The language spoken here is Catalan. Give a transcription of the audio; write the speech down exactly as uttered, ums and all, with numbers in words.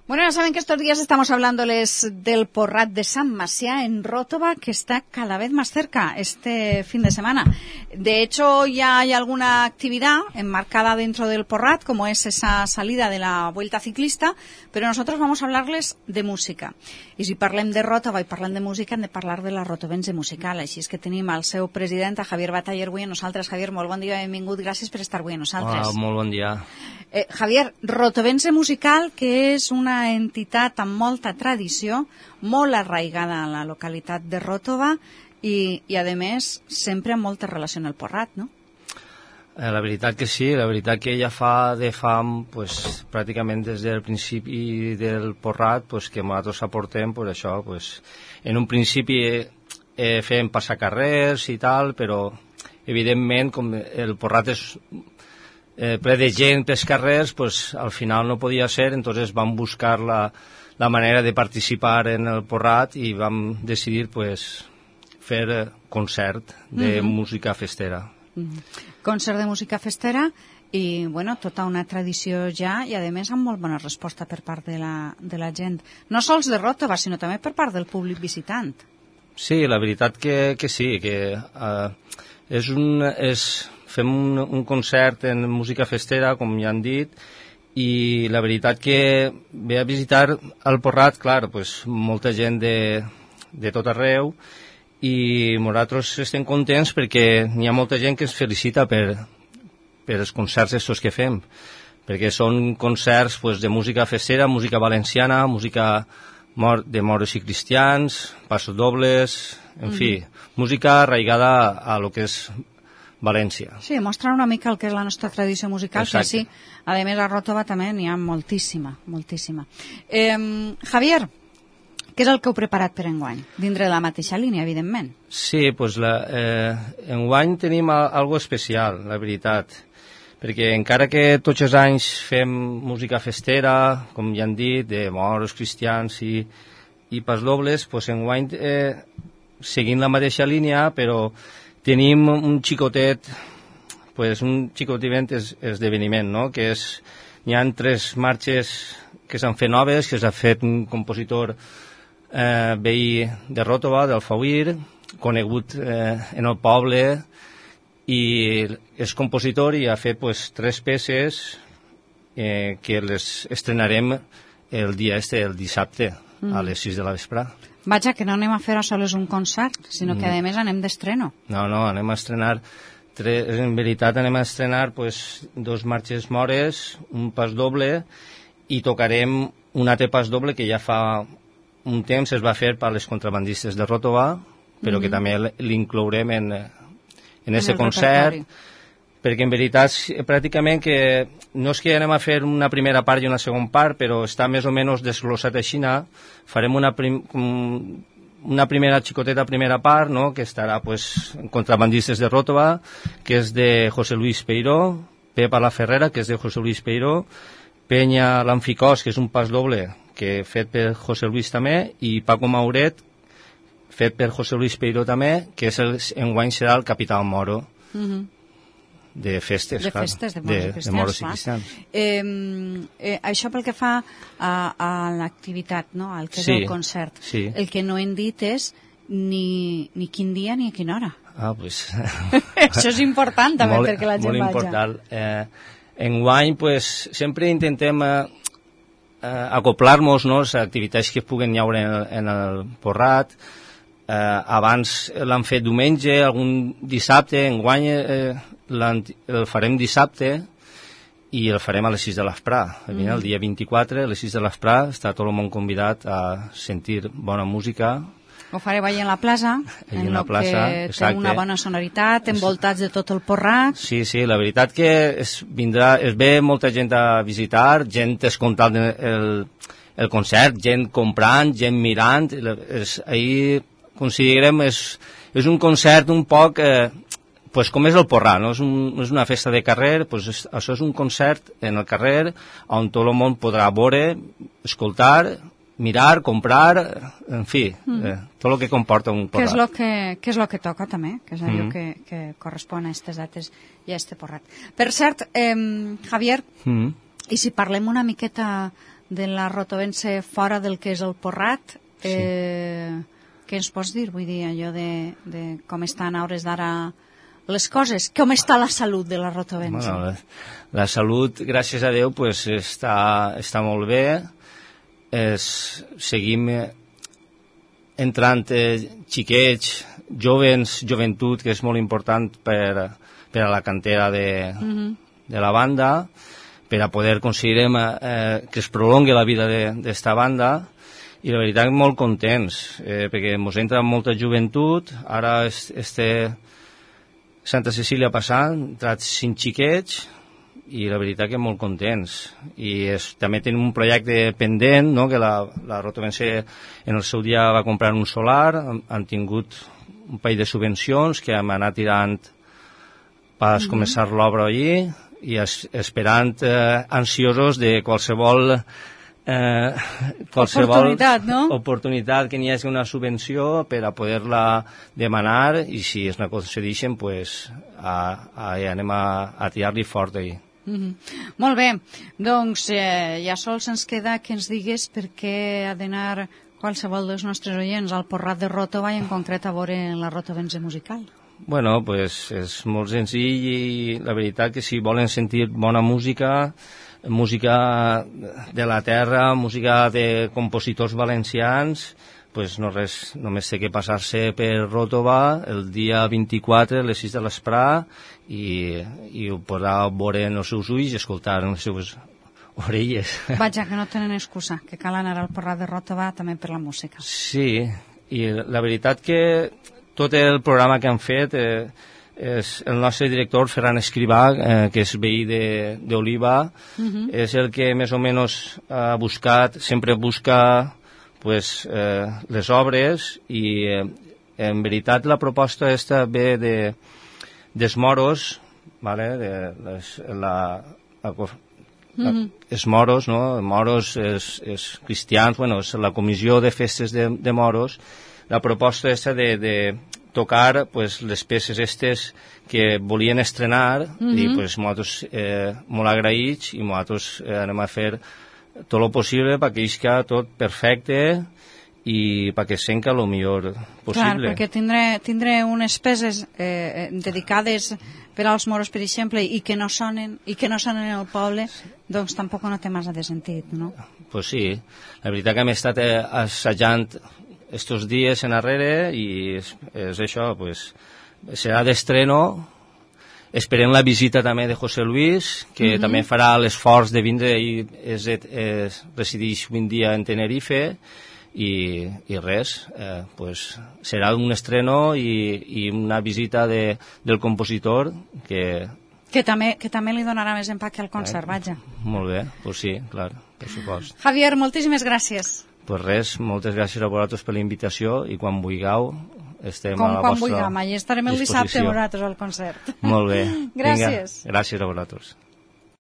Bueno, ya saben que estos días estamos hablándoles del Porrat de San Macià en Ròtova, que está cada vez más cerca este fin de semana. De hecho, ya hay alguna actividad enmarcada dentro del Porrat, como es esa salida de la Vuelta Ciclista, pero nosotros vamos a hablarles de música. I si parlem de Ròtova i parlem de música, hem de parlar de la rotovense musical. Així és que tenim el seu president, Javier Bataller, avui amb nosaltres. Javier, molt bon dia, benvingut, gràcies per estar avui amb nosaltres. Hola, molt bon dia. Eh, Javier, rotovense musical, que és una entitat amb molta tradició, molt arraigada a la localitat de Ròtova i, i a més, sempre amb molta relació amb el Porrat, no? Eh, la veritat que sí, la veritat que ja fa de fam, pues, pràcticament des del principi del Porrat, pues, que nosaltres aportem, pues, això, pues, en un principi eh, fem passar carrers i tal, però evidentment com el Porrat és eh, ple de gent pels carrers, pues, al final no podia ser, entonces vam buscar la, la manera de participar en el Porrat i vam decidir, pues, fer eh, concert de mm-hmm. música festera. Mm-hmm. Concert de música festera i, bueno, tota una tradició ja i, a més, amb molt bona resposta per part de la, de la gent. No sols de Ròtova, sinó també per part del públic visitant. Sí, la veritat que, que sí, que uh, és un, és, fem un, un concert en música festera, com ja han dit, i la veritat que ve a visitar el Porrat, clar, pues, molta gent de, de tot arreu, i nosaltres estem contents perquè n'hi ha molta gent que ens felicita per, per els concerts estos que fem, perquè són concerts, pues, de música festera, música valenciana, música mor de moros i cristians, passos dobles, en mm. fi, música arraigada a lo que és València. Sí, mostrar una mica el que és la nostra tradició musical, Exacte. Que sí, a més a Ròtova també n'hi ha moltíssima, moltíssima. Eh, Javier, què és el que heu preparat per enguany? Dintre de la mateixa línia, evidentment. Sí, doncs la, eh, enguany tenim algo especial, la veritat, perquè encara que tots els anys fem música festera, com ja han dit, de moros, cristians i, i pasdobles, doncs enguany eh, seguint la mateixa línia, però tenim un xicotet, pues un xicotivent es, esdeveniment, no? Que és, hi ha tres marxes que s'han fet noves, que s'ha fet un compositor eh, veí de Ròtova, d'Alfauir, conegut eh, en el poble, i és compositor i ha fet pues, tres peces eh, que les estrenarem el dia este, el dissabte, mm. a les sis de la vesprà. Vaja, que no anem a fer a soles un concert, sinó que, a més, anem d'estreno. No, no, anem a estrenar, tres, en veritat anem a estrenar pues, dos marxes mores, un pas doble, i tocarem un altre pas doble que ja fa un temps es va fer per les contrabandistes de Ròtova, però mm-hmm. que també l'inclourem en, en aquest concert, repertori. Perquè en veritat pràcticament que no és que anem a fer una primera part i una segona part, però està més o menys desglossat així. Farem una, prim, una primera xicoteta primera part, no?, que estarà pues, Contrabandistes de Ròtova, que és de José Luis Peiró, Pepa la Ferrera, que és de José Luis Peiró, Penya l'Anficòs, que és un pas doble, que fet per José Luis també, i Paco Mauret, fet per José Luis Peiró també, que és el, enguany serà el Capità Moro. Mm-hmm. de festes, de, clar, festes, de, de, de, de moros i cristians. Eh, eh, això pel que fa a, a l'activitat, no? Al que és sí, el concert. Sí. El que no hem dit és ni, ni quin dia ni a quina hora. Ah, pues... això és important també molt, perquè la gent molt vaja. Important. Eh, enguany, pues, sempre intentem eh, eh, acoplar-nos, no?, les activitats que puguen haure en el, en el Porrat. Eh, abans l'han fet diumenge, algun dissabte, enguany eh, el farem dissabte i el farem a les sis de l'esprà. Mm. El dia vint-i-quatre, a les sis de l'esprà, està tot el món convidat a sentir bona música. Ho fareu allà en la plaça, allà en la plaça, que exacte. té una bona sonoritat, envoltats de tot el Porrat. Sí, sí, la veritat que es, vindrà, es ve molta gent a visitar, gent escoltant el, el concert, gent comprant, gent mirant. És, ahir considerem és, és un concert un poc... Eh, pues com és el Porrat, no? És, un, és una festa de carrer, pues és, això és un concert en el carrer on tot el món podrà veure, escoltar, mirar, comprar, en fi, mm. eh, tot el que comporta un Porrat. Què és el que, què és lo que toca també, que és allò mm. que, que correspon a aquestes dates i a este Porrat. Per cert, eh, Javier, mm. i si parlem una miqueta de la rotovense fora del que és el Porrat. Eh, sí. Què ens pots dir, vull dir, allò de, de com estan a hores d'ara les coses? Com està la salut de la rotovense? Bueno, la, la salut, gràcies a Déu, pues, està, està molt bé. Es, seguim entrant eh, xiquets, jovens, joventut, que és molt important per, per a la cantera de, mm-hmm. de la banda, per a poder aconseguir eh, que es prolongui la vida d'esta banda, i la veritat molt contents, eh, perquè ens entra molta joventut. Ara este Santa Cecília passant, han entrat cinc xiquets, i la veritat que molt contents. I és, també tenim un projecte pendent, no?, que la, la rotovense en el seu dia va comprar un solar, han, han tingut un parell de subvencions que hem anat tirant per mm-hmm. començar l'obra allí, i es, esperant, eh, ansiosos de qualsevol, eh, qualsevol oportunitat, no? oportunitat que n'hi hagi una subvenció per a poder-la demanar, i si es n'aconsegueixen, pues, a, a, anem a, a tirar-li fort allí. Mm-hmm. Molt bé, doncs eh, ja sols ens queda que ens digues per què ha d'anar qualsevol dels nostres oients al Porrat de Ròtova, i en concret a veure la rotovense musical. Bueno, pues és molt senzill, i la veritat que si volen sentir bona música, música de la terra, música de compositors valencians, pues no res, només té que passar-se per Ròtova el dia vint-i-quatre a les sis de l'esprà, i, i ho podrà veure en els seus ulls i escoltar en les seves orelles. Vaja, que no tenen excusa, que cal anar al Porrat de Ròtova també per la música. Sí, i la veritat que tot el programa que han fet, eh, és el nostre director, Ferran Escrivà, eh, que és veí d'Oliva, uh-huh. és el que més o menys ha buscat, sempre busca pues, eh, les obres, i eh, en veritat la proposta esta ve de, dels moros, vale? de, les, la, la, la, uh-huh. els moros, no? moros, és, és cristians, bueno, és la comissió de festes de, de moros. La proposta és de, de tocar pues, les peces estes que volien estrenar, mm-hmm. i pues, nosaltres eh, molt agraïts, i nosaltres eh, anem a fer tot el possible perquè isca tot perfecte i perquè senca el millor possible. Clar, perquè tindré, tindré unes peces eh, dedicades per als moros, per exemple, i que no sonen i que no sonen al poble, doncs tampoc no té massa de sentit, no? Pues sí, la veritat que hem estat eh, assajant estos dies en arrere, i és, és això, pues, serà d'estreno. Esperem la visita també de José Luis, que mm-hmm. també farà l'esforç de vindre, i és, és, resideix un dia en Tenerife, i, i res, eh, pues, serà un estreno i, i una visita de, del compositor que... Que també, que també li donarà més empaque al concert, eh, vaja. Molt bé, pues sí, clar, per supost. Javier, moltíssimes gràcies. Pues res, moltes gràcies a vosaltres per la invitació, i quan vulgueu estem Com, a la quan vostra vulguem, allà estarem el dissabte vosaltres al concert. Molt bé. Gràcies. Vinga, gràcies a vosaltres.